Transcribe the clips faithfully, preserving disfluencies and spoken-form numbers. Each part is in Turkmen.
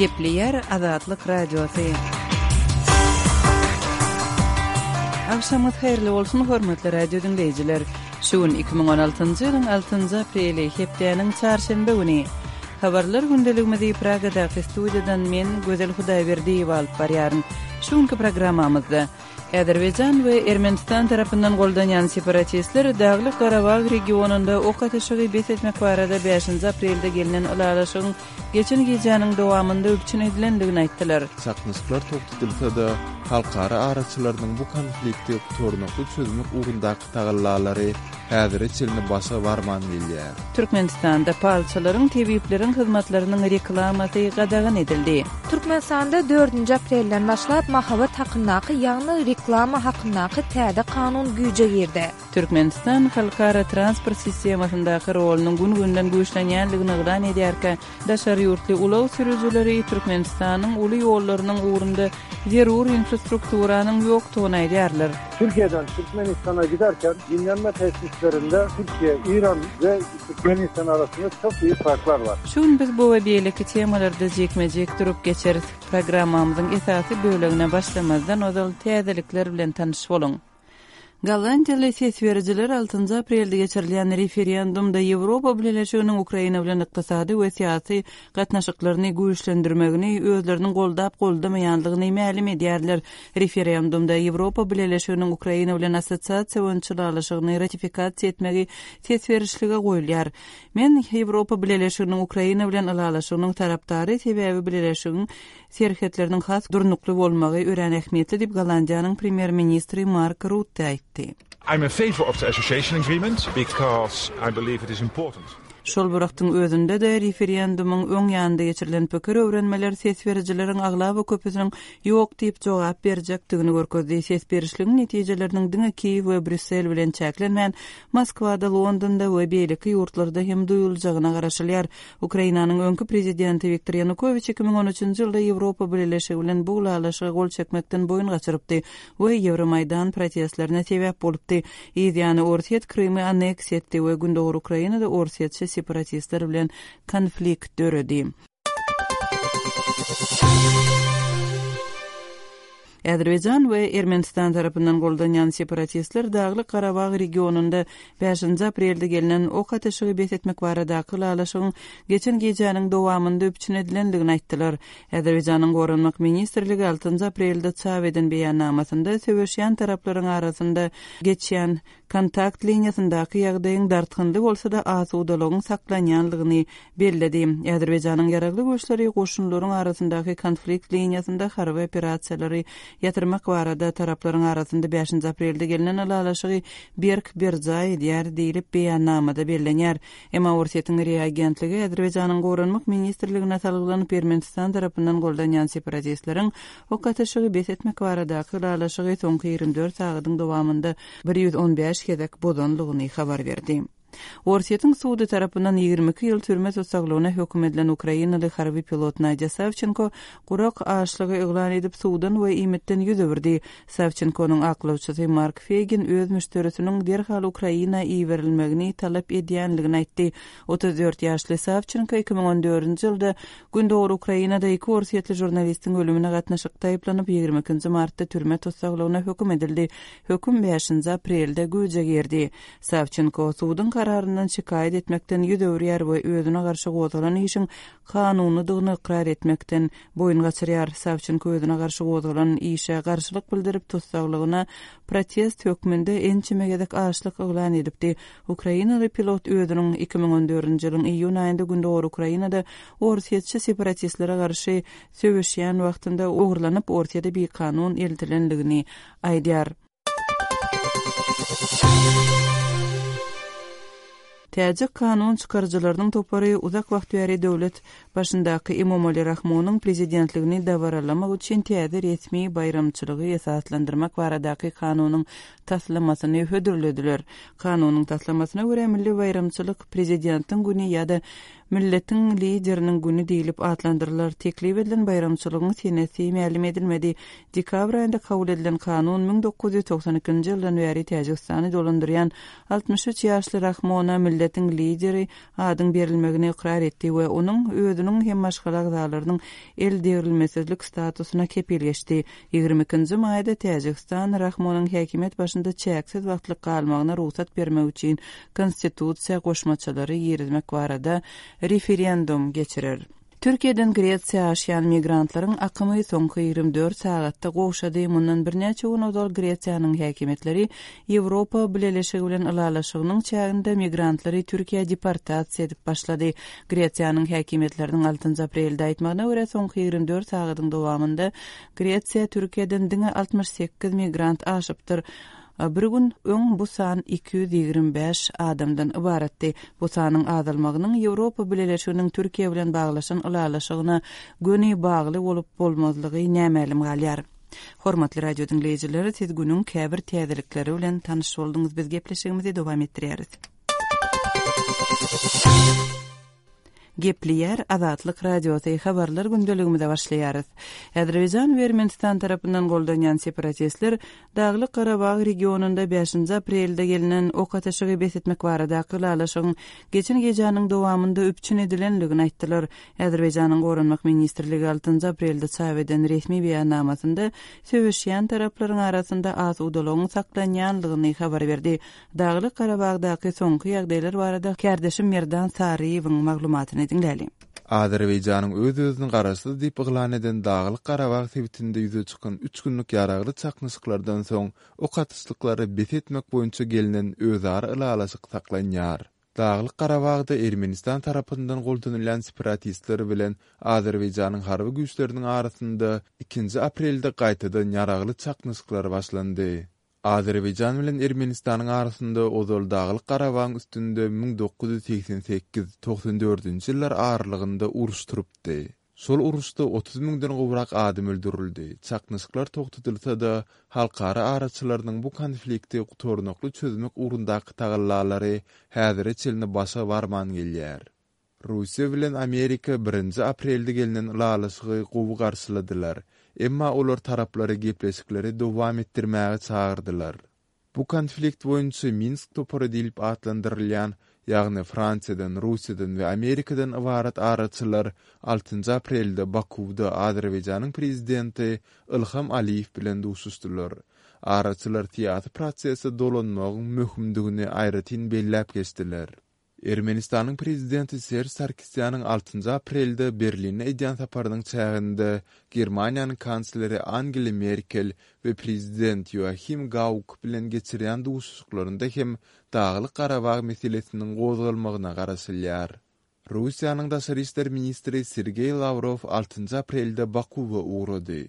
Gepleýär Azatlyk Radiosy. Agşamyňyz haýyrly bolsun, hormatly radio diňleýjiler. Şu gün iki müň on altynjy ýylyň altynjy apreli, hepdäniň çarşenbe güni. Habarlar gündeligimizi Pragadaky studiýadan men, Gözel Hudaýberdiýewa alyp barýaryn. Şu günki programmamyzda Azerbaýjan we Ermenistan tarapyndan goldanýan separatistler Daglyk-Garabag regionynda ok atyşygy bes etmek barada bäşinji aprelde gelnen ylalaşygyň geçen gijäniň dowamynda üpjün edilendigini aýtdylar. Çaknyşyklar togtatylsa-da, halkara araçylarynyň bu konflikti gutarnykly çözmek ugrundaky tagallalary häzire çenli başa barman gelýär. Türkmenistanda palçylaryň, tebipleriň hyzmatlarynyň reklamasy gadagan edildi. Türkmenistanda dördünji aprelden başlap mahabat hakyndaky, ýagny reklama hakyndaky täze kanun güýje girdi. Türkmenistan halkara transport sistemasyndaky rolunyň gün-günden güýçlenýändigini yglan edýärkä, daşary ýurtly ulag sürüjileri Türkmenistanyň uly ýollarynyň ugrunda zerur infrastrukturanyň ýokdugyny aýdýarlar. Türkiýeden Türkmenistana giderken dinlenme tesislerinde Türkiye, İran we Türkmenistan arasynda çok büyük farklar var. Şu gün biz bu we beýleki temalarda jikme-jik durup geçeris. Programmamyzyň esasy bölegine başlamazdan ozal täzelikler bilen tanyş boluň. Gollandiýaly ses berijiler altynjy aprelde geçirilýän referendumda Ýewropa Bileleşiginiň Ukraina bilen ykdysady we syýasy gatnaşyklaryny güýçlendirmegini özleriniň goldap-goldamaýandygyny mälim edýärler. Referendumda Ýewropa Bileleşiginiň Ukraina bilen assosiasiýa boýunça ylalaşygyny ratifikasiýa etmegi ses berişlige goýulýar. Men Ýewropa Bileleşiginiň Ukraina bilen ylalaşygynyň tarapdary, sebäbi Bileleşigiň serhetleriniň has durnukly bolmagy örän ähmiýetli diýip Gollandiýanyň premýer-ministri Mark Rutte aýtdy. I'm in favor of the association agreement because I believe it is important. Şol bir wagtyň özünde-de referendumyň öň ýanynda geçirilen pikir öwrenmeler ses berijileriň aglaba köpüsiniň ýok diýip jogap berjekdigini görkezdi. Ses berişligiň netijeleriniň diňe Kiýew we Brýussel bilen çäklenmän, Moskwada, Londonda we beýleki ýurtlarda hem duýuljagyna garaşylýar. Ukrainanyň öňki prezidenti Wiktor Ýanukowiç iki müň on üçünji ýylda Ýewropa Bileleşigi bilen bu ylalaşyga gol çekmekden boýun gaçyrypdy we Ýewromaýdan protestlerine sebäp bolupdy. Yz ýany Orsýet Krymy anneksiýa etdi we Gündogar Ukrainada orsýetçi separatistler bilen konflikt döredi. Azerbaýjan we Ermenistan tarapyndan goldanýan separatistler Daglyk-Garabag regionynda bäşinji aprelde gelnen ok atyşygy bes etmek baradaky ylalaşygyň geçen gijäniň dowamynda üpjün edilendigini aýtdylar. Azerbaýjanyň Goranmak ministrligi altynjy aprelde çap eden beýannamasynda söweşýän taraplaryň arasynda geçýän kontakt liniýasyndaky ýagdaýyň dartgynly bolsa-da asudalygyň saklanýanlygyny belledi. Azerbaýjanyň ýaragly güýçleri goşunlaryň arasyndaky konflikt liniýasynda harby operasiýalary ýatyrmak barada taraplaryň arasynda bäşinji aprelde gelnen ylalaşygy berk berjaý edýär diýlip beýannamada bellenýär. Emma Orsýetiň R I A agentligi Azerbaýjanyň Goranmak ministrligine salgylanyp Ermenistan tarapyndan goldanýan separatistleriň ok atyşygy bes etmek baradaky ylalaşygy soňky ýigrimi dört sagadyň dowamynda bir ýüz on bäş gezek bozanlygyny habar berdi. Orsýetiň sudy tarapyndan ýigrimi iki ýyl türme tussaglygyna höküm edilen ukrainaly harby pilot Nadýa Sawçenko gurak açlygy yglan edip suwdan we iýmitden ýüz öwürdi. Sawçenkonyň aklawçysy Mark Feýgin öz müşderisiniň derhal Ukraina iberilmegini talap edýänligini aýtdy. Otuz dört ýaşly Sawçenko iki müň on dördünji ýylda Gündogar Ukrainada iki orsýetli žurnalistiň ölümine gatnaşykda aýyplanyp ýigrimi ikinji martda türme tussaglygyna höküm edildi. Höküm bäşinji aprelde güýje girdi. Sawçenko suduň kararyndan şikaýat etmekden ýüz öwürýär we özüne garşy gozgalan işiň kanunydygyny ykrar etmekden boýun gaçyrýar. Sawçenko özüne garşy gozgalan işe garşylyk bildirip tussaglygyna protest hökmünde ençeme gezek açlyk yglan edipdi. Ukrainaly pilot özüniň iki müň on dördünji ýylyň iýun aýynda Gündogar Ukrainada orsýetçi separatistlere garşy söweşýän wagtynda ogurlanyp Orsýete bikanun eltilendigini aýdýar. Täjik kanun çykaryjylarynyň topary uzak wagt bäri döwlet başyndaky Emomali Rahmonyň prezidentligini dabaralamak üçin täze resmi baýramçylygy esaslandyrmak baradaky kanunyň taslamasyny hödürlediler. Kanunyň taslamasyna görä milli baýramçylyk prezidentiň güni ýa-da Milletiň Lideriniň güni diýlip atlandyrylar. Teklip edilen baýramçylygyň senesi mälim edilmedi. Dekabr aýynda kabul edilen kanun müň dokuz ýüz togsan ikinji ýyldan bäri Täjigistany dolandyrýan altmyş üç ýaşly Rahmona Milletiň Lideri adyň berilmegini ykrar etdi we onuň özüniň hem maşgala agzalarynyň el degrilmesizlik statusyna kepil geçdi. Ýigrimi ikinji maýda Täjigistan Rahmonyň häkimiýet başynda çäksiz wagtlyk galmagyna rugsat bermek üçin konstitusiýa goşmaçalary girizmek barada referendum geçirer. Türkiýeden Gresiýa aşýan migrantlaryň akymy soňky ýigrimi dört sagatda gowşady. Mundan birnäçe gün ozal Gresiýanyň häkimiýetleri Ýewropa Bileleşigi bilen ylalaşygynyň çäginde migrantlary Türkiýä deportasiýa edip başlady. Gresiýanyň häkimiýetleriniň altynjy aprelde aýtmagyna görä, soňky ýigrimi dört sagadyň dowamynda Gresiýa Türkiýeden diňe altmyş sekiz migrant aşypdyr. Bir gün öň bu san iki ýüz ýigrimi bäş adamdan ybaratdy. Bu sanyň azalmagynyň Ýewropa Bileleşiginiň Türkiýe bilen baglaşan ylalaşygyna göni bagly bolup bolmazlygy nämälim galýar. Hormatly radio diňleýjiler, siz günüň käbir täzelikleri bilen tanyş bolduňyz. Biz gepleşigimizi dowam etdirýäris. Gepleýär Azatlyk Radiosy, habarlar gündeligimize başlaýarys. Azerbaýjan we Ermenistan tarapyndan goldanýan separatistler Daglyk Garabag regionynda bäşinji aprelde gelnen ok atyşygy bes etmek baradaky ylalaşygyň geçen gijäniň dowamynda üpjün edilendigini aýtdylar. Azerbaýjanyň Goranmak ministrligi altynjy aprelde çap eden resmi beýannamasynda söweşýän taraplaryň arasynda asudalygyň saklanýandygyny habar berdi. Daglyk Garabagdaky soňky ýagdaýlar barada kärdeşim Merdan Saryýewiň maglumatyny diňläli. Azerbaýjanyň öz-özüni garaşsyz diýip yglan eden Daglyk Garabag sebitinde ýüze çykan üç günlük ýaragly çaknyşyklardan soň ok atyşlyklary bes etmek boýunça gelnen özara ylalaşyk saklanýar. Daglyk Garabagda Ermenistan tarapyndan goldanylýan separatistler bilen Azerbaýjanyň harby güýçleriniň arasynda ikinji aprelde gaýtadan ýaragly çaknyşyklar başlandy. Azerbaýjan bilen Ermenistanyň arasynda ozal Daglyk Garabagyň üstünde müň dokuz ýüz segsen sekiz togsan dördünji ýyllar aralygynda uruş turupdy. Şol uruşda otuz müňden gowrak adam öldürildi. Çaknyşyklar togtadylsa-da, halkara araçylarynyň bu konflikti gutarnykly çözmek ugrundaky tagallalary häzire çenli başa barman gelýär. Russiýa bilen Amerika birinji aprelde gelnen ylalaşygy gowy garşyladylar. Emma olar taraplary gepleşikleri dowam etdirmäge çagyrdylar. Bu konflikt boýunça Minsk topary diýlip atlandyrylýan, ýagny Fransiýadan, Russiýadan we Amerikadan ybarat araçylar altynjy aprelde Bakuwda Azerbaýjanyň prezidenti Ilham Aliýew bilen duşuşdylar. Araçylar syýasy prosese dolanmagyň möhümdigini aýratyn belläp geçdiler. Ermenistanyň prezidenti Serj Sarkisýanyň altynjy aprelde Berlinde edýän saparynyň çäginde Germaniýanyň kansleri Angela Merkel we prezident Joachim Gauck bilen geçirýän duşuşyklarynda hem Daglyk Garabag meselesiniň gozgalmagyna garaşylýar. Russiýanyň daşary işler ministri Sergeý Lawrow altynjy aprelde Bakuwa ugrady.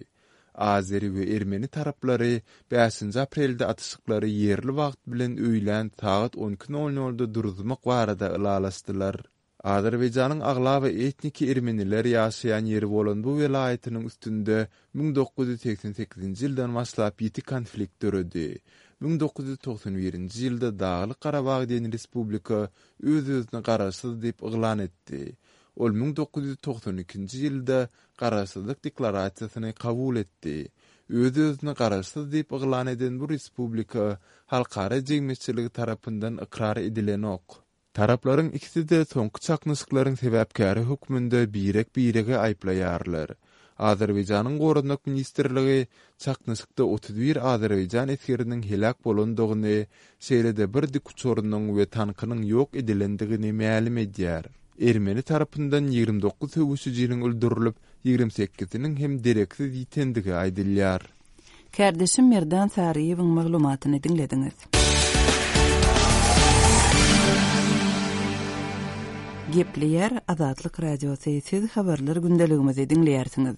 Azeri we ermeni taraplary bäşinji aprelde atyşyklary ýerli wagt bilen öýlän sagat on iki nol nolda duruzmak barada ylalaşdylar. Azerbaýjanyň aglaba etniki ermeniler ýaşaýan ýeri bolan bu welaýatynyň üstünde müň dokuz ýüz segsen sekizinji ýyldan başlap ýiti konflikt döredi. Müň dokuz ýüz togsan birinji ýylda Daglyk Garabag diýen respublika öz-özüni garaşsyz diýip yglan etdi. Ol müň dokuz ýüz togsan ikinji ýylda garaşsyzlyk deklarasiýasyny kabul etdi. Öz-özüni garaşsyz diýip yglan eden bu respublika halkara jemgyýetçiligi tarapyndan ykrar edilenok. Taraplaryň ikisi-de soňky çaknyşyklaryň sebäpkäri hökmünde birek-birege aýyplaýarlar. Azerbaýjanyň Goranmak ministrligi çaknyşykda otuz bir Azerbaýjan esgeriniň heläk bolandygyny, şeýle-de bir dikuçarynyň we tankynyň ýok edilendigini mälim edýär. Ermeni tarapyndan ýigrimi dokuz söweşijiniň öldürilip, ýigrimi sekiziniň hem dereksiz ýitendigi aýdylýar. Kärdeşim Merdan Saryýewiň maglumatyny diňlediňiz. Gepleýär Azatlyk Radiosy, siz habarlar gündeligimizi diňleýärsiňiz.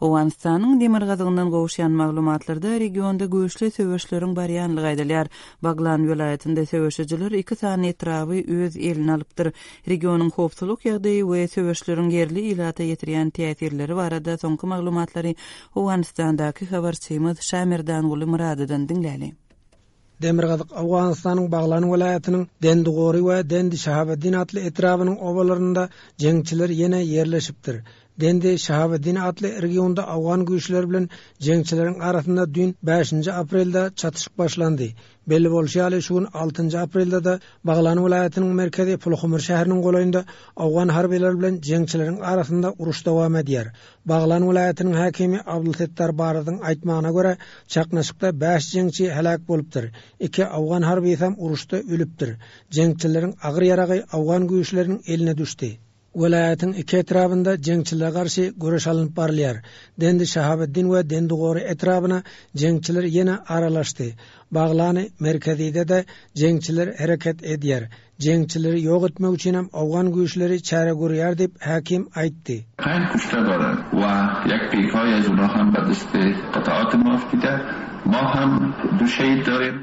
Owganystanyň demirgazygyndan gowuşýan maglumatlarda regionda güýçli söweşleriň barýanlygy aýdylýar. Baglan welaýatynda söweşijiler iki sany etraby öz eline alypdyr. Regionyň howpsuzlyk ýagdaýy we söweşleriň ýerli ilata ýetirýän täsirleri barada soňky maglumatlary Owganystandaky habarçymyz Şamerdanguly Myradydan diňläli. Demirgazyk Owganystanyň Baglan welaýatynyň Dendigori we Dendi Şahabeddin atly etrabynyň obalarynda jeňçiler ýene ýerleşipdir. Dendi Şahabeddin atly regionda Owgan güýçleri bilen jeňçileriň arasynda düýn bäşinji aprelde çatyşyk başlandy. Belli bolşy ýaly, şu gün altynjy aprelde-de Baglan welaýatynyň merkezi Pulhumur şäheriniň golaýynda Owgan harbylary bilen jeňçileriň arasynda uruş dowam edýär. Baglan welaýatynyň häkimi Abdulsettar Barazyň aýtmagyna görä, çaknyşykda bäş jeňçi heläk bolupdyr. Iki Owgan harbysam uruşda ölüpdir. Jeňçileriň agyr ýaragy Owgan güýçleriniň eline düşdi. Welaýatyň iki etrabynda jeňçilere garşy göreş alnyp barylýar. Dendi Şahabeddin we Dendigori etrabyna jeňçiler ýene aralaşdy. Baglany merkezide-de jeňçiler hereket edýär. Jeňçileri ýok etmek üçinem Owgan güýçleri çäre görýär diýip, häkim aýtdy. Pänç kuşte daren we ýek PKK az olar hem be deste qataat ma aftide, ma hem du şehid darim.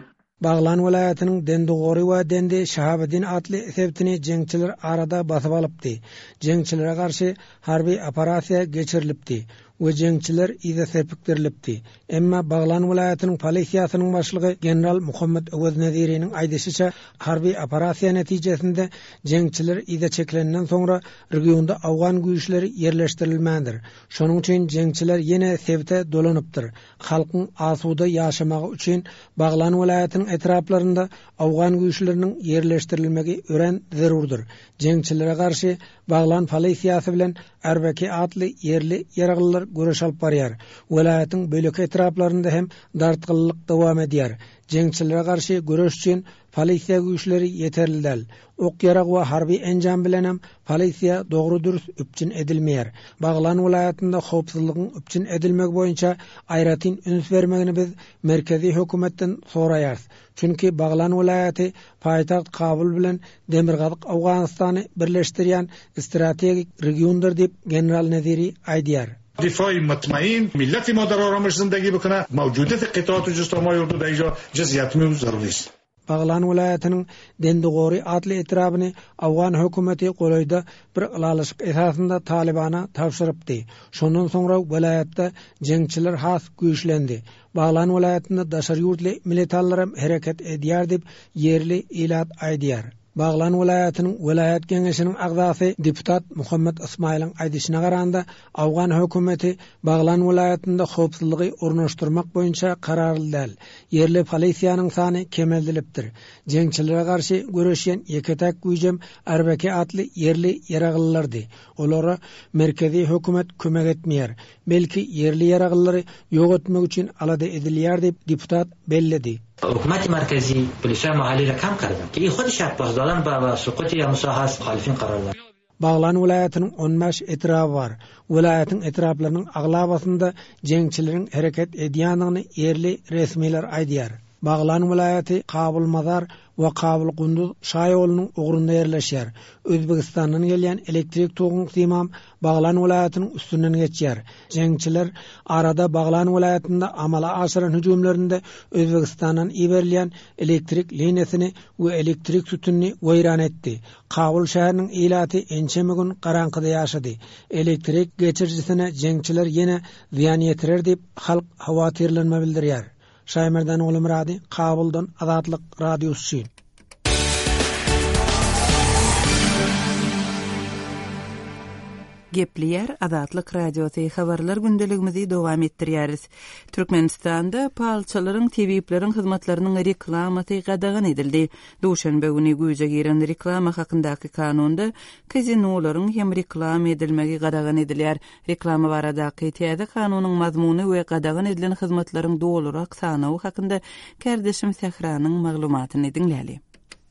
Baglan welaýatynyň Dendigori we Dendi Şahabeddin atly sebitini jeňçiler arada basyp alypdy. Jeňçilere garşy harby operasiýa geçirilipdi we jeňçiler yza serpikdirilipdi. Emma Baglan welaýatynyň polisiýasynyň başlygy general Muhammet Öwez Neziriniň aýdyşyça, harby operasiýa netijesinde jeňçiler yza çekilenden soňra regionda Owgan güýçleri ýerleşdirilmändir. Şonuň üçin jeňçiler ýene sebite dolanypdyr. Halkyň asuda ýaşamagy üçin Baglan welaýatynyň etraplarynda Owgan güýçleriniň ýerleşdirilmegi örän zerurdyr. Jeňçilere garşy Baglan polisiýasy bilen Erbeki atly ýerli ýaraglylar göreş alyp barýar. Welaýatyň bölek etraplarynda hem dartgynlyk dowam edýär. Jeňçilere garşy göreş üçin polisiýa güýçleri ýeterli däl. Ok ýarag we harby enjam bilen hem polisiýa dogry dürs üpjün edilmeýär. Baglan welaýatynda howpsuzlygyň üpjün edilmegi boýunça aýratyn üns bermegini biz merkezi hökümetden soraýarys. Çünki Baglan welaýaty paýtagt Kabul bilen Demirgazyk Owganystany birleşdirýän strategik regiondyr diýip general Neziri aýdýar. دفاع مطمئن ملت ما در آرامش زندگی بکنه موجودیت قطعات جستامای اردو در اینجا جزئیات ضروری است. Baglan welaýatynyň Dendigori atly etrabyny Owgan hökümeti golaýda bir ylalaşyk esasynda Talibana tabşyrypdy. Şondan soňra welaýatda jeňçiler has güýçlendi. Baglan welaýatynda daşary ýurtly militarlar hem hereket edýär diýip ýerli ilat aýdýar. Baglan welaýatynyň welaýat geňeşiniň agzasy deputat Muhammet Ismailiň aýdyşyna garanda Owgan hökümeti Baglan welaýatynda howpsuzlygy ornaşdyrmak boýunça kararly däl. Ýerli polisiýanyň sany kemeldilipdir. Jeňçilere garşy göreşýän ýeke-täk güýjem Erbeki atly ýerli ýaraglylardy. Olara merkezi hökümet kömek etmeýär. Belki ýerli ýaraglylary ýok etmek üçin alada edilýär diýip deputat belledi. حکومت مرکزی پلیسای محلی را کم کردن که این خودش یک پاس دادن به سقوط یا مساحه مخالفین قرار داد. Baglan welaýatynyň on bäş etraby bar. Welaýatyň etraplarynyň aglabasynda jeňçileriň hereket edýändigini ýerli resmiler aýdýar. Baglan welaýaty Kabul Mazar we Kabul Gunduz şaýolunyň ugrunda ýerleşýär. Özbegistandan gelýän elektrik toguň simam Baglan welaýatynyň üstünden geçýär. Jeňçiler arada Baglan welaýatynda amala aşyran hüjümlerinde Özbegistandan iberilýän elektrik liniýasyny we elektrik sütünini weýran etdi. Kabul şäheriniň ilaty ençeme gün garaňkyda ýaşady. Elektrik geçirijisine jeňçiler ýene zyýan ýetirer diýip halk howatyrlanma bildirýär. Şaýmerdan Oglumyrady, Kabuldan Azatlyk Radiosy. Gepleýär Azatlyk Radiosy habarlar gündeligimizi dowam etdirýäris. Türkmenistanda palçalaryň, tebipleriň hyzmatlarynyň reklamasy gadagan edildi. Duşenbe güni güýje giren reklama hakyndaky kanunda kazinolaryň hem reklama edilmegi gadagan edilýär. Reklama baradaky täze kanunyň mazmuny we gadagan edilen hyzmatlaryň dolurak sanawy hakynda kardeşim Sähranyň maglumatyny diňläli.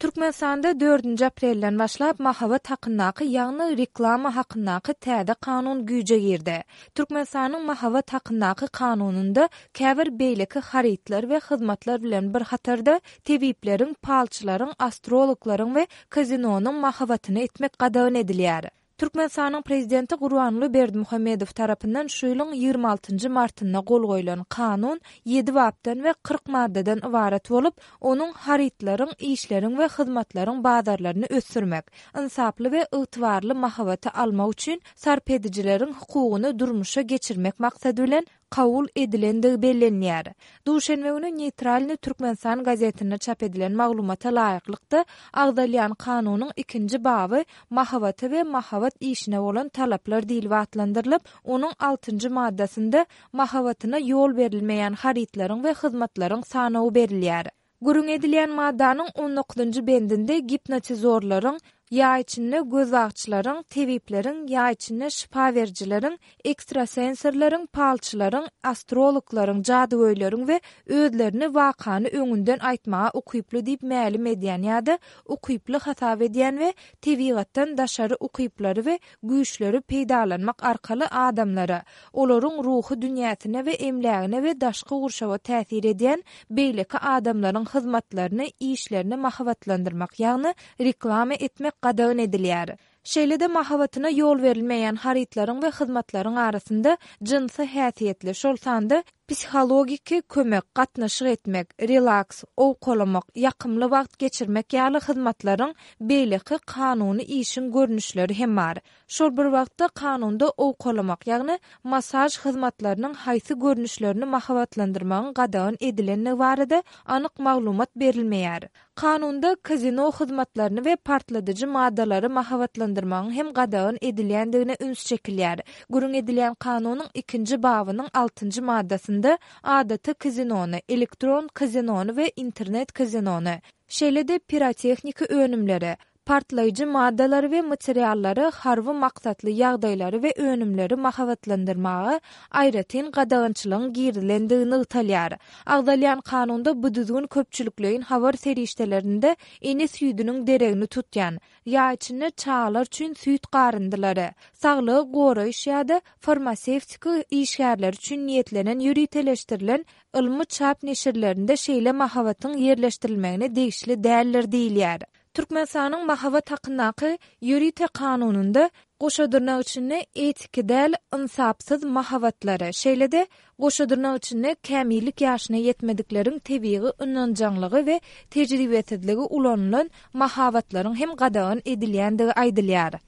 Türkmenistanda dördünji aprelden başlap mahabat hakyndaky, ýagny reklama hakyndaky täze kanun güýje girdi. Türkmenistanyň mahabat hakyndaky kanunynda käbir beýleki harytlar we hyzmatlar bilen bir hatarda tebipleriň, palçylaryň, astrologlaryň we kazinonyň mahabatyny etmek gadagan edilýär. Türkmenistanyň prezidenti Gurbanguly Berdimuhamedow tarapyndan şu ýylyň ýigrimi altynjy martynda gol goýlan kanun ýedi bapdan we kyrk maddadan ybarat bolup, onuň harytlaryň, işleriň we hyzmatlaryň bazarlaryny ösdürmek, ynsaply we ygtybarly mahabaty almak üçin sarp edijileriň hukugyny durmuşa geçirmek maksady bilen kabul edilendigi bellenýär. Duşenbe güni Neýtralny Türkmenistan gazetinde çap edilen maglumata laýyklykda agzalýan kanunyň ikinji baby mahabata we mahabat işine bolan talaplar diýlip atlandyrylyp, onuň altynjy maddasynda mahabatyna ýol berilmeýän harytlaryň we hyzmatlaryň sanawy berilýär. Gürrüň edilýän maddanyň on dokuzynjy bendinde gipnotizorlaryň, ýaý içinde gözbagçylaryň, tebipleriň, ýaý içinde şypa berijileriň, ekstrasensorlaryň, palçylaryň, astrologlaryň, jadygöýleriň we özlerini wakany öňünden aýtmaga ukyply diýip mälim edýän ýa-da ukyply hasap edýän we tebigatdan daşary ukyplary we güýçleri peýdalanmak arkaly adamlara, olaryň ruhy dünýäsine we emlägine we daşky gurşawa täsir edýän beýleki adamlaryň hyzmatlaryny, işlerini mahabatlandyrmak, ýagny reklama etmek gadagan edilýär. Şeýle-de mahabatyna ýol berilmeýän harytlaryň we hyzmatlaryň arasynda jynsy häsiýetli, şol sanda psihologiki kömek, gatnaşyk etmek, relaks, owkalamak, ýakymly wagt geçirmek ýaly hyzmatlaryň beýleki kanuny işiň görnüşleri hem bar. Şol bir wagtda kanunda owkalamak, ýagny masaj hyzmatlarynyň haýsy görnüşlerini mahabatlandyrmagyň gadagan edilendigi barada anyk maglumat berilmeýär. Kanunda kazino hyzmatlaryny we partladyjy maddalary mahabatlandyrmagyň hem gadagan edilýändigine üns çekilýär. Gürrüň edilýän kanunyň ikinji babynyň altynjy maddasynda adaty kazinony, elektron kazinony we internet kazinony, şeýle-de pirotehniki önümleri, partlaýjy maddalary we materiallary, harby maksatly ýagdaýlary we önümleri mahabatlandyrmaga aýratyn gadagançylygyň girizilendigi nygtalýar. Agzalýan kanunda bu düzgün köpçülikleýin habar serişdelerinde ene süýdüniň deregini tutýan, ýaý içinde çagalar üçin süýt garyndylary, saglygy goraýyş ýa-da farmasewtika işgärleri üçin niýetlenen ýöriteleşdirilen ylmy çap neşirlerinde şeýle mahabatyň ýerleşdirilmegine degişli däldir diýilýär. Türkmenistanyň mahabat hakyndaky ýörite kanunynda goşa dyrnak içinde etiki däl ynsapsyz mahabatlary, şeýle-de goşa dyrnak içinde kämillik ýaşyna ýetmedikleriň tebigy ynanjaňlygy we tejribesizligi ulanylan mahabatlaryň hem gadagan edilýändigi aýdylýar.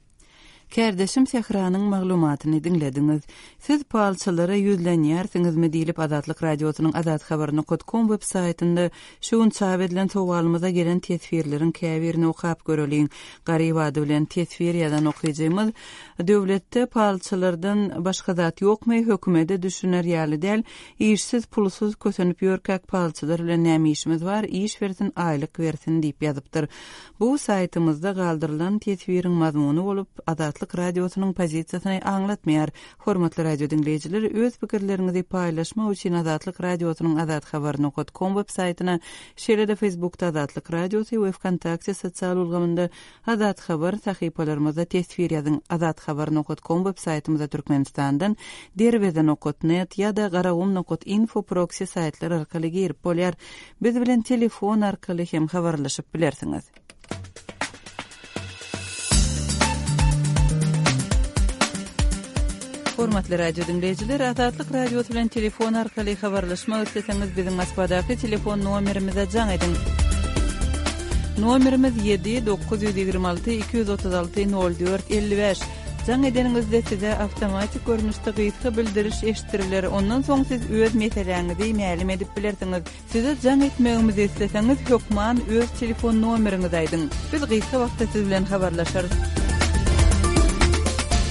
Kärdeşim Sähranyň maglumatyny diňlediňiz. Siz palçylara ýüzlenýärsiňizmi diýlip Azatlyk Radiosynyň azathabar nokta com web saýtynda şu gün çap edilen sowalymyza gelen teswirleriň käbirini okap göreliň. Garyp ady bilen teswir ýazan okyjymyz döwletde palçylardan başga zat ýokmy, hökümete düşüner ýaly däl, işsiz pulsuz kösenip ýörkäk palçylar bilen näme işimiz bar, iş bersin, aýlyk bersin diýip ýazypdyr. Bu saýtymyzda galdyrylan teswiriň mazmuny bolup Azatlyk Radiosynyň pozisiýasyny aňlatmaýar. Hormatly radio diňleýjiler, öz pikirleriňizi paýlaşmak üçin Azatlyk Radiosynyň azathabar nokta com web saýtyna, şeýle-de Facebookda Azatlyk Radiosy we Vkontakte sosial ulgamynda Azat Habar sahypalarymyzda teswir ýazyň. Azathabar nokta com web saýtymyzda Türkmenistandan derweze nokta net ýa-da garagum nokta info proxy saýtlar arkaly girip bolýar. Biz bilen telefon arkaly hem habarlaşyp bilersiňiz. Hormatly radio diňleýjiler, Azatlyk Radiosy bilen telefon arkaly habarlaşmak isleseňiz biziň Moskwadaky telefon nomerimize jaň ediň. Nomerimiz ýedi dokuz ýüz ýigrimi alty iki ýüz otuz alty nol dört elli bäş. Jaň edeniňizde size awtomatik görnüşde gysga bildiriş eşitdiriler. Ondan soň siz öz meseläňizi mälim edip bilersiňiz. Size jaň etmegimizi isleseňiz hökman öz telefon nomeriňizi aýdyň. Biz gysga wagtda siz bilen habarlaşarys.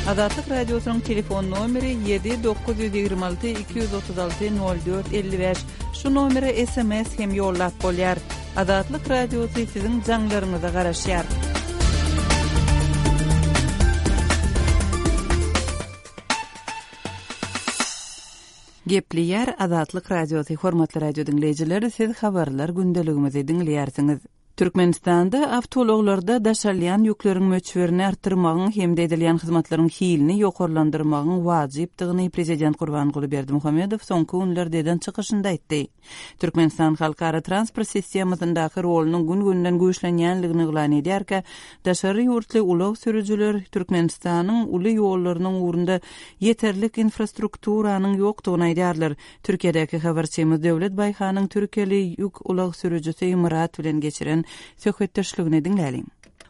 Azatlyk Radiosynyň telefon nomeri ýedi dokuz ýüz ýigrimi alty iki ýüz otuz alty nol dört elli bäş. Şu nomere S M S hem ýollap bolýar. Azatlyk Radiosy siziň jaňlaryňyza garaşýar. Gepleýär Azatlyk Radiosy. Hormatly radio diňleýjiler, siz habarlar gündeligimizi diňleýärsiňiz. Türkmenistanda awtoulaglarda daşalýan ýükleriň möçberini artdyrmagyň hem-de edilýän hyzmatlaryň hilini ýokarlandyrmagyň wajypdygyny Prezident Gurbanguly Berdimuhamedow soňky günlerde eden çykyşynda aýtdy. Türkmenistan halkara transport sistemasyndaky rolunyň gün-günden güýçlenýänligini yglan edýärkä, daşary ýurtly ulag sürüjiler Türkmenistanyň uly ýollarynyň ugrunda ýeterlik infrastrukturanyň ýokdugyny aýdýarlar. Türkiýedäki habarçymyz Döwlet Baýhanyň türkiýeli ýük ulag sürüjisi Myrat bilen geçiren söhbetdeşligini diňläliň.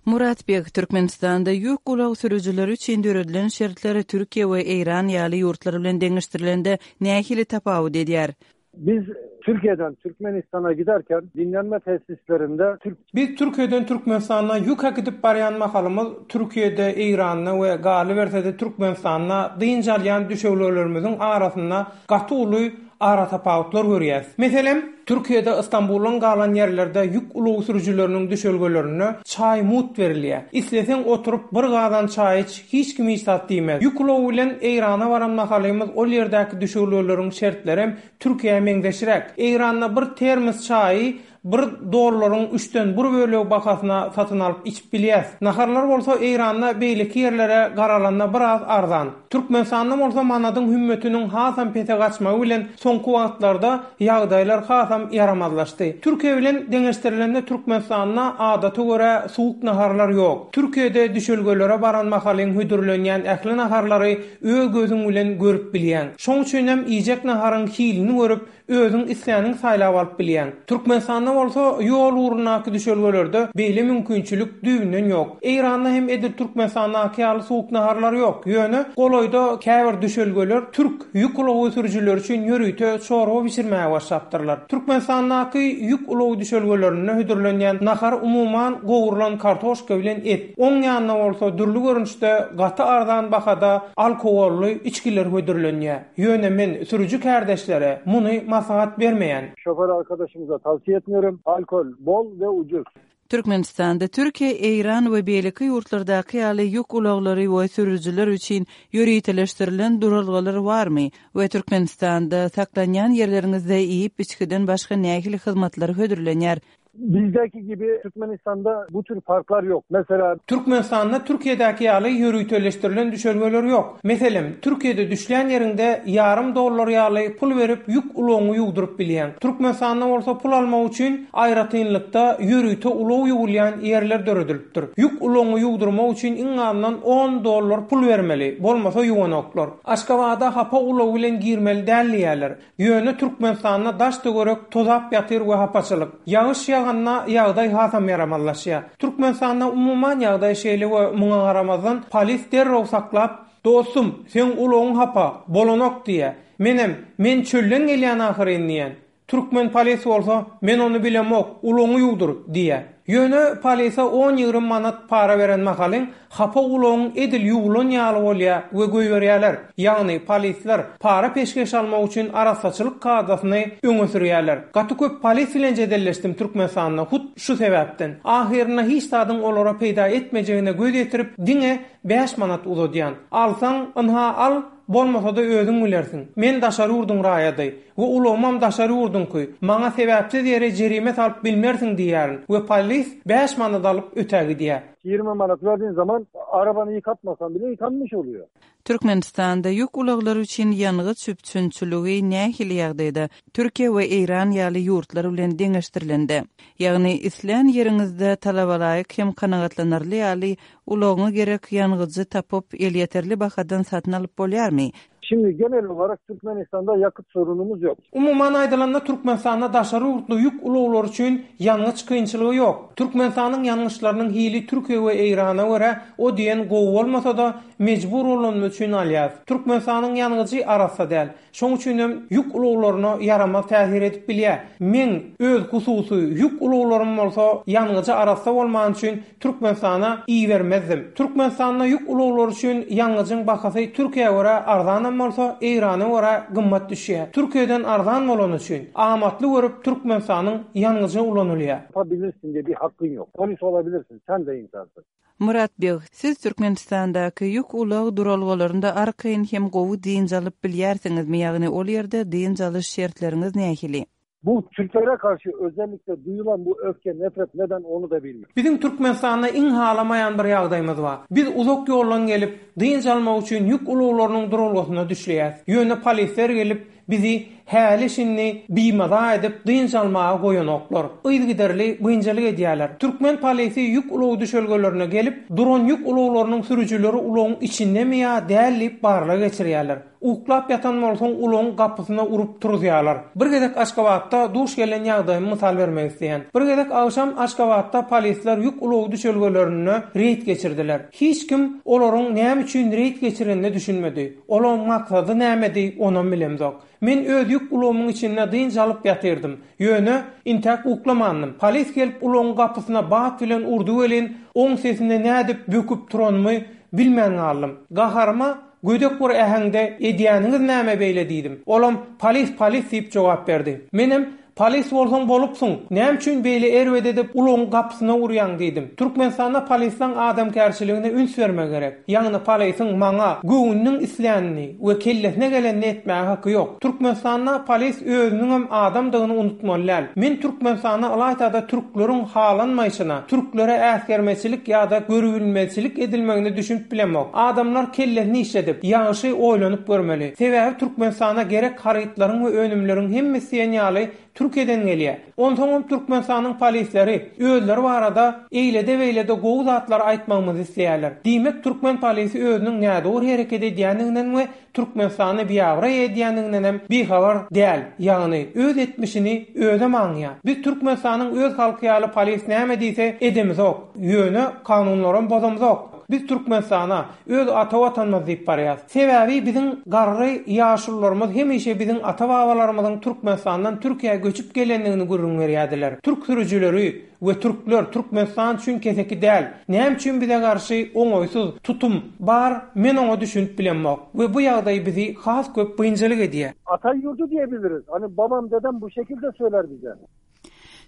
Murat Beg, Türkmenistanda ýük ulag sürüjileri üçin döredilen şertler Türkiýe we Eýran ýaly ýurtlar bilen deňeşdirilende nähili tapawut edýär? Biz Türkiye'den Türkmenistan'a giderken dinlenme tesislerinde Türk Biz Türkiye'den Türkmenistana ýük äkidip barýan mahalymyz Türkiye'de, Eýranda we galyberse-de Türkmenistanda dynç alýan düşelgelerimiziň arasynda gaty uly aratapawutlar görýäs. Meselem, Türkiye'de İstanbul'dan galan ýerlerde ýük ulag sürüjileriniň düşelgelerinde çaý mugt berilýär. Isleseň oturyp bir gazan çaý iç, hiç kim hiç zat diýmez. Ýük ulagy bilen Eýrana baran mahalymyz ol ýerdäki düşelgeleriň şertleri Türkiye'ye meňzeşräk. Eýranda bir termos çaýy bir dollaryň üçden bir bölegi bahasyna satyn alyp içip bilýäs. Naharlar bolsa Eýranda beýleki ýerlere garalanda biraz arzan. Türkmenistanda bolsa manadyň hümmetiniň hasam pese gaçmagy bilen soňky wagtlarda ýagdaýlar hasam ýaramazlaşdy. Türkiye bilen deňeşdirilende Türkmenistanda adata görä suwuk naharlar ýok. Türkiye'de düşelgelere baran mahalyň hödürlenýän ähli naharlary öz gözüň bilen görüp bilýän. Şoň üçin hem iýjek naharyň hilini görüp özüň isläniň saýlap alyp bilýän. Türkmenistanda bolsa ýol ugrundaky düşelgelerde beýle mümkinçilik düýbünden ýok. Eýranda hem edil Türkmenistandaky ýaly suwuk naharlar ýok. Ýöne golaýda käbir düşelgeler türk ýük ulagy sürüjileri üçin ýörite çorba bişirmäge başlapdyrlar. Türkmenistandaky ýük ulagy düşelgelerinde hödürlenýän nahar umuman gowrulan kartoşka bilen et. Oň ýanyna bolsa dürli görnüşde gaty arzan bahada alkogolly içkiler hödürlenýär. Ýöne men sürüji kardeşlere muny maslahat bermeýän. Şoför arkadaşımıza tavsiye etmiyorum. Alkol bol ve ucuz. Türkmenistanda Türkiye, Eýran we beýleki ýurtlardaky ýaly ýük ulaglary we sürüjiler üçin ýöriteleşdirilen duralgalar barmy we Türkmenistanda saklanýan ýerleriňizde iýip içgiden başga nähili hyzmatlar hödürlenýär? Bizdeki gibi Türkmenistan'da bu tür parklar yok. Mesela Türkmenistanda Türkiye'däki ýaly ýöriteleşdirilen düşelgeler ýok. Meselem, Türkiye'de düşlän ýerinde ýarym dollar ýaly pul berip ýük ulagyňy ýuwduryp bilýän. Türkmenistanda bolsa pul almak üçin aýratynlykda ýörite ulag ýuwulýan ýerler döredilipdir. Ýük ulagyňy ýuwdurmak üçin iň azyndan on dollar pul bermeli, bolmasa ýuwanoklar. Aşgabada hapa ulag bilen girmeli däl diýerler. Ýöne Türkmenistanda daş töwerek tozap ýatyr we hapaçylyk. Ýagyş ýaganda ýagdaý hasam ýaramazlaşýar. Türkmenistanda umuman ýagdaý şeýle we muňa garamazdan polis derrew saklap, "Dostum, sen ulagyň hapa, bolanok" diýe. Menem, "Men çölden gelýän ahyryn" diýen. Türkmen polis bolsa, "Men ony bilemok, ulagyňy ýuwdur" diýe. Ýöne polise on ýigrimi manat para beren mahalyň hapa ulagyň edil ýuwulan ýaly bolýar we goýberýärler. Ýagny polisler para peşgeş almak üçin arassaçylyk kadasyny öňe sürýärler. Gaty köp polis bilen jedelleşdim Türkmenistanda hut şu sebäpden. Ahyrynda hiç zadyň olara peýda etmejegine göz ýetirip diňe bäş manat uzadýan. Alsaň, ynha al, bolmasa da özüň bilersiň. Men daşary ýurduň raýady we ulagymam daşary ýurduňky. Maňa sebäpsiz ýere jerime salyp bilmersiň diýýärin we polis bäş manat alyp ötä gidýär. Ýigrimi manat verdiğin zaman arabanı yıkatmasan bile yıkanmış oluyor. Türkmenistanda ýük ulaglary üçin ýangyç üpjünçiligi nähili ýagdaýda Türkiye we Eýran ýaly ýurtlar bilen deňeşdirilende, ýagny islän ýeriňizde talabalaýyk hem kanagatlanarly ýaly ulagyňa gerek ýangyjy tapyp elýeterli bahadan satyn alyp bolýarmy? Şimdi genel olarak Türkmenistan'da yakıt sorunumuz yok. Umuman aýdylanda Türkmenistanda daşary ýurtly ýük ulaglary üçin ýangyç kynçylygy ýok. Türkmenistanyň ýangyçlarynyň hili Türkiye we Eýrana görä o diýen gowy bolmasa da mejbur bolany üçin alýar. Türkmenistanyň ýangyjy arassa däl. Şoň üçin hem ýük ulaglaryna ýaramaz täsir edip bilýär. Men öz hususy ýük ulaglarym bolsa ýangyjy arassa bolman üçin Türkmenistana ibermezdim. Türkmenistanda ýük ulaglary üçin ýangyjyň bahasy Türkiýä görä arzanam bolsa Eýrana görä gymmat düşýär. Türkiýeden arzan bolany üçin amatly görüp Türkmenistanyň ýangyjy ulanylýar. Yapabilirsin diye bir hakkın yok. Polis olabilirsin, sen de insansın. Murat Beg, siz Türkmenistandaky ýük ulag duralgalarynda arkaýyn hem gowy dynç alyp bilýärsiňizmi? Ýagny ol ýerde dynç alyş şertleriňiz nähili? Bu Türklere karşı özellikle duyulan bu öfke, nefret neden onu da bilmiyorum. Bizim Türkmenistanda iň halamaýan bir ýagdaýymyz bar. Biz uzak ýoldan gelip dynç almak üçin ýük ulaglarynyň duralgasyna düşleýäs. Ýöne polisler gelip bizi häli şindi bimaza edip dynç almaga goýanoklar. Yzygiderli biynjalyk edýärler. Türkmen polisi ýük ulag düşelgelerine gelip duran ýük ulaglarynyň sürüjileri ulagyň içindemi ýa däl diýip barlag geçirýärler. Uklap ýatan bolsaň ulagyň gapysyna urup turuzýarlar. Bir gezek Aşgabatda duş gelen ýagdaýymy mysal bermek isleýän. Bir gezek agşam Aşgabatda polisler ýük ulagy düşelgelerinde reýd geçirdiler. Hiç kim olaryň näme üçin reýd geçirenini düşünmedi. Olaryň maksady nämedi, onam bilemzok. Men öz ýük ulagymyň içinde dynç alyp ýatyrdym. Ýöne intäk uklamandym. Polis gelip ulagyň gapysyna bat bilen urdy welin, oň sesine nädip böküp turanymy bilmän galdym. Gaharyma gödek bir äheňde edýäniňiz näme beýle diýdim. Olam polis polis diýip jogap berdi. Menem polis bolsaň bolupsyň. Näme üçin beýle erbet edip ulagyň gapysyna urýaň diýdim. Türkmenistanda polisleň adamkärçiligine üns bermek gerek. Ýagny polisiň maňa göwnüniň islänini we kellesine gelenini etmäge haky ýok. Türkmenistanda polis özüniňem adamdygyny unutmaly däl. Men Türkmenistanda ylaýtada türkleriň halanmaýşyna, türklere äsgermeçilik ýa-da görübilmezçilik edilmegini düşünip bilemok. Adamlar kellesini işledip, ýagşy oýlanyp görmeli. Sebäbi Türkmenistana gerek harytlaryň we önümleriň hemmesi diýen ýaly Türkiýeden gelýär. Onsoňam Türkmenistanyň polisleri özleri barada eýlede beýlede gowy zatlar aýtmagymyzy isleýärler. Diýmek türkmen polisi özüniň nädogry hereket edýändiginden we Türkmenistany biabraý edýändiginden hem bihabar däl. Ýagny öz etmişini özem aňýar. Biz Türkmenistanyň öz halky ýaly polis näme diýse edemizok. Ýöne kanunlaram bozamzok. Biz Türkmenistana öz ata watanymyz diýip barýarys. Sebäbi biziň garry ýaşulularymyz hemişe biziň ata babalarymyzyň Türkmenistandan Türkiýä göçüp gelendigini gürrüň berýärdiler. Türk sürüjileri we türkler Türkmenistan üçin keseki däl. Näme üçin bize garşy oňaýsyz tutum bar, men oňa düşünip bilemok. We bu ýagdaý bizi has köp biynjalyk edýär. Ata yurdu diyebiliriz. Hani babam dedem bu şekilde söyler bize.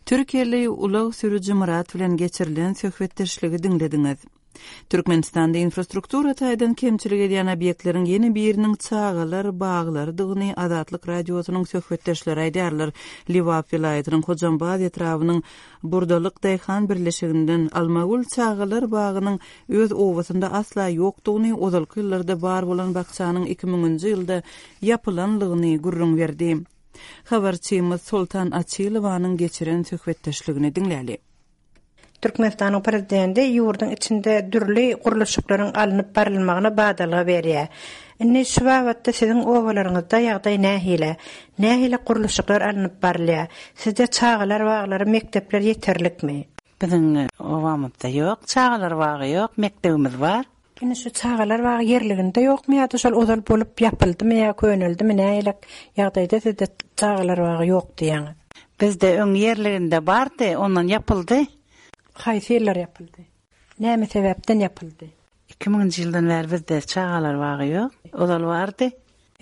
Türkiýeli ulag sürüji Murat bilen geçirilen söhbetdeşligi diňlediňiz. Türkmenistanda infrastruktura taýdan kemçilik edýän obýektleriň ýene biriniň çagalar baglarydygyny Azatlyk radiosynyň söhbetdeşleri aýdýarlar. Lebap welaýatynyň Hojambaz etrabynyň Burdalyk Daýhan birleşiginden Almagül çagalar bagynyň öz obasynda asla ýokdugyny, ozalky ýyllarda bar bolan bakçanyň iki müňünji ýylda ýapylanlygyny gürrüň berdi. Habarçymyz Soltan Açylowanyň geçiren söhbetdeşligini diňläli. Türkmenistanyň prezidenti ýurduň içinde dürli gurluşyklaryň alnyp barylmagyna badalga berýär. Indi şu babatda siziň obalaryňyzda ýagdaý nähili? Nähili gurluşyklar alnyp barylýar? Sizde çagalar baglary, mekdepler ýeterlikmi? Biziň obamyzda ýok, çagalar bagy ýok, mekdebimiz bar. Indi şu çagalar bagy ýerliginde ýokmy ýa-da şol ozal bolup ýapyldymy ýa köneldimi nähili ýagdaýda sizde çagalar bagy ýok diýýäňiz? Bizde öň ýerliginde bardy, ondan ýapyldy. Haýsy ýyllar ýapyldy? Näme sebäpden ýapyldy? Iki müňünji ýyldan bäri bizde çagalar bagy ýok, ozal bardy.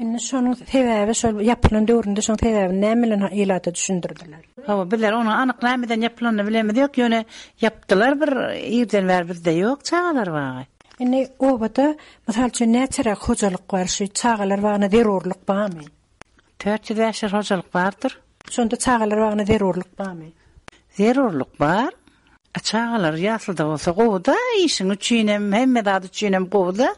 Indi şonuň sebäbi şol ýapylan döwründe şonuň sebäbini näme bilen ilata düşündirdiler? Hawa, bizler ony anyk nämeden ýapylanyny bilemiz ýok, ýöne ýapdylar bir ýerden bäri bizde ýok çagalar bagy. Indi obada mysal üçin näçeräk hojalyk bar, şu çagalar bagyna zerurlyk barmy? Dört ýüz bäş ýüz hojalyk bardyr. Şonda çagalar bagyna zerurlyk barmy? Zerurlyk bar. Çagalar ýasylda bolsa gowy-da, işiň üçinem, hemme zat üçinem gowy-da.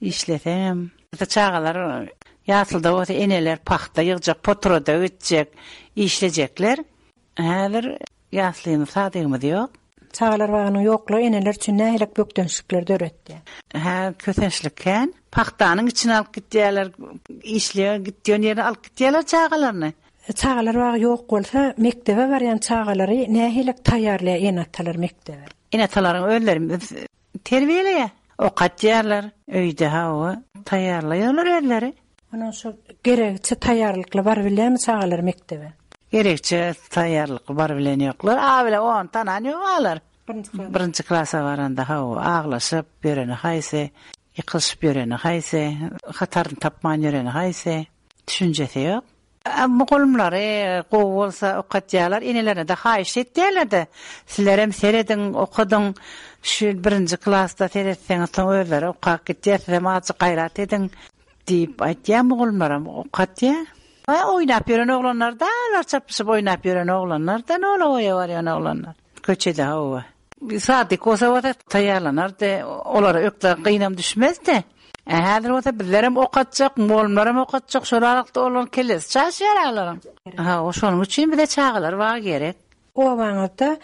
Işleseňem. Çagalar ýasylda bolsa eneler pahta ýygjak, poturada gitjek, işlejekler. Häzir ýaslymyz, sadygymyz ýok. Çagalar bagynyň ýoklugy eneler üçin nähili bökdençlikler döretdi? Hä, kösençlik kän. Pahtanyň içine alyp gitýärler, işleýär, gitýän ýerine alyp gitýärler çagalaryny. Çagalar bagy ýok bolsa, mekdebe barýan çagalary nähili taýýarlaýar ene-atalar mekdebe? Ene-atalaryň özleri terbiýeleýär, okatýarlar, öýde hawa taýýarlaýarlar özleri. Onuň şu gerekçe taýýarlykly bar bilýärmi çagalar mekdebe? Gerekçe taýýarlykly bar bilen ýoklar. A bile on tanan ýok alar. Birinji klasa baranda hawa aglaşyp ýöreni haýsy, ýykylyşyp ýöreni haýsy, hataryny tapman ýöreni haýsy, düşünjesi ýok. Mugallymlary gowy bolsa okatýarlar, enelerine de haýyş etýärler-de. Sizlerem serediň, okadyň, şu birinji klasda seretseňiz soň özleri okap gitýär, sizem azajyk gaýrat ediň diýip aýtýar mugallymlaram okatýar. Oýnap ýören oglanlar da, olar çapyşyp oýnap ýören oglanlar da, nola oýa barýan oglanlar. Köçede hawa. Sadyk bolsa bolsa taýýarlanardy, olara ökde gynam düşmezdi. E, häzir bolsa bizlerem okatjak, mugallymlaram okatjak, şol aralykda olaryň kellesi çaşýar alaryň. Ha, şonuň üçin bize çagalar bagy gerek. Obaňyzda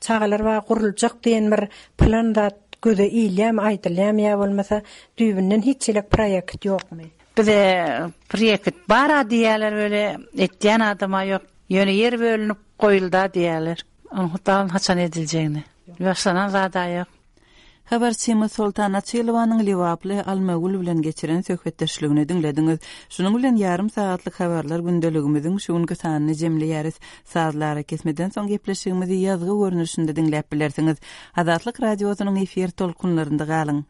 çagalar bagy guruljak diýen bir plan zat göze ilýärmi, aýdylýarmy ýa bolmasa düýbünden hiç ýere proýekt ýokmy? Bize proýekt bar-a diýýärler weli, etýän adam-a ýok. Ýöne ýer bölünip goýuldy-a diýýärler. Onuň haçan ediljegini. Başlanan zad-a ýok. Habarçymyz Soltan Açylowanyň Lebaply Almagül bilen geçiren söhbetdeşligini diňlediňiz. Şunuň bilen ýarym sagatlyk habarlar gündeligimiziň şu günki sanyny jemleýäris. Sazly arakesmeden soň gepleşigimizi ýazgy görnüşinde diňläp bilersiňiz. Azatlyk Radiosynyň efir tolkunlarynda galyň.